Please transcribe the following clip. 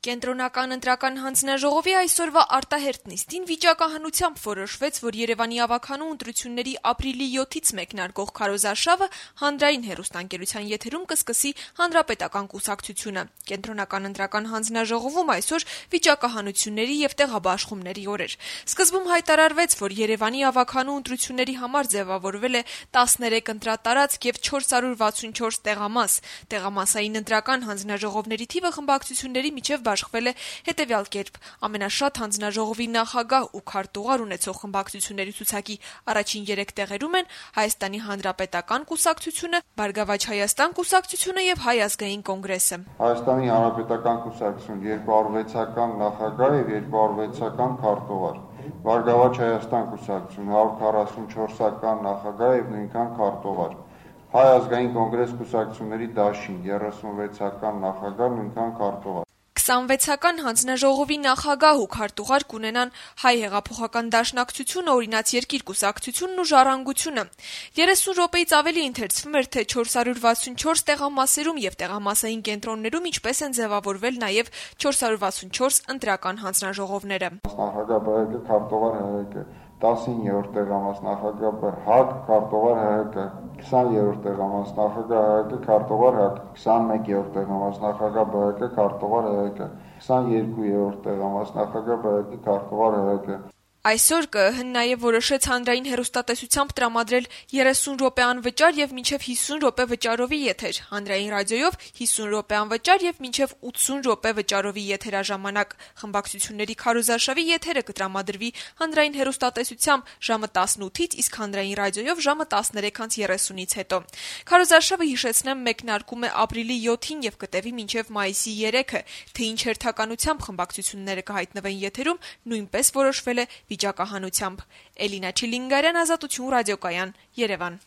Կենտրոնական ընտրական հանձնաժողովի այսօրվա արտահերթ նիստին վիճակահանությամբ որոշվեց, որ Երևանի ավագանու ընտրությունների ապրիլի 7-ից մեկնարկող քարոզարշավը հանրային հեռուստաընկերության եթերում կսկսի Հանրապետական կուսակցությունը։ Կենտրոնական ընտրական հանձնաժողովում այսօր վիճակահանությունների եւ տեղաբաշխումների օր էր։ Սկզբում հայտարարվեց, որ Երևանի ավագանու ընտրությունների համար ձևավորվել է 13 ընտրատարածք եւ 464 տեղամաս։ Տեղամասային ընտրական հանձնաժողովների թիվը խմբակցությունների միջև բաշխվել է հետևյալ կերպ. ամենաշատ հանձնաժողովի նախագահ ու քարտուղար ունեցող խմբակցությունների ցուցակի առաջին 3 տեղերում են Հայաստանի Հանրապետական կուսակցությունը, Բարգավաճ Հայաստան կուսակցությունը եւ Հայ ազգային կոնգրեսը։ Հայաստանի Հանրապետական կուսակցություն 206-ական նախագահ եւ 206-ական քարտուղար, Բարգավաճ Հայաստան կուսակցություն 144-ական նախագահ եւ նույնքան քարտուղար, Հայ ազգային կոնգրես կուսակցությունների դաշին 36-ական նախագահ, նույնքան քարտուղար։ 26-ական հանձնաժողովի նախագահ ու քարտուղար կունենան Հայ հեղափոխական դաշնակցությունը, Օրինաց երկիր կուսակցությունն ու Ժառանգությունը։ 30 րոպեից ավելի ընթերցվում էր, թե 464 տեղամասերում եւ տեղամասային կենտրոններում ինչպես են ձևավորվել նաեւ 464 ընտրական հանձնաժողովները։ Նախագահ ԲՀԿ քարտուղար ՀՀԿ 19-րդ տեղամաս նախագահ ՀԱԿ քարտուղար ՀՀԿ 20-րդ տեղամաս նախագահ ՀՀԿ քարտուղար ՀԱԿ 21-րդ տեղամաս նախագահ ԲՀԿ քարտուղար ՀՀԿ 22-րդ տեղամաս նախագահ ԲՀԿ քարտուղար ՀՀԿ։ Այսօր ԿԸՀ-ն նաև որոշեց հանրային հեռուստատեսությամբ տրամադրել 30 րոպե անվճար եւ մինչեւ 50 րոպե վճարովի եթեր, հանրային ռադիոյով 50 րոպե անվճար եւ մինչեւ 80 րոպե վճարովի եթերաժամանակ։ Խմբակցությունների քարոզարշավի եթերը կտրամադրվի հանրային հեռուստատեսությամբ ժամը 18-ից, իսկ հանրային ռադիոյով ժամը 13:30-ից հետո։ Քարոզարշավը, հիշեցնեմ, մեկնարկում է ապրիլի 7-ին եւ կտևի մինչեւ մայիսի 3-ը, թե ինչ հերթականությամբ խմբակցությունները կհայտնվեն եթերում, նույնպես որոշվել է վիճակահանությամբ։ Էլինա Չիլինգարյան, Ազատություն ռադիոկայան, Երևան։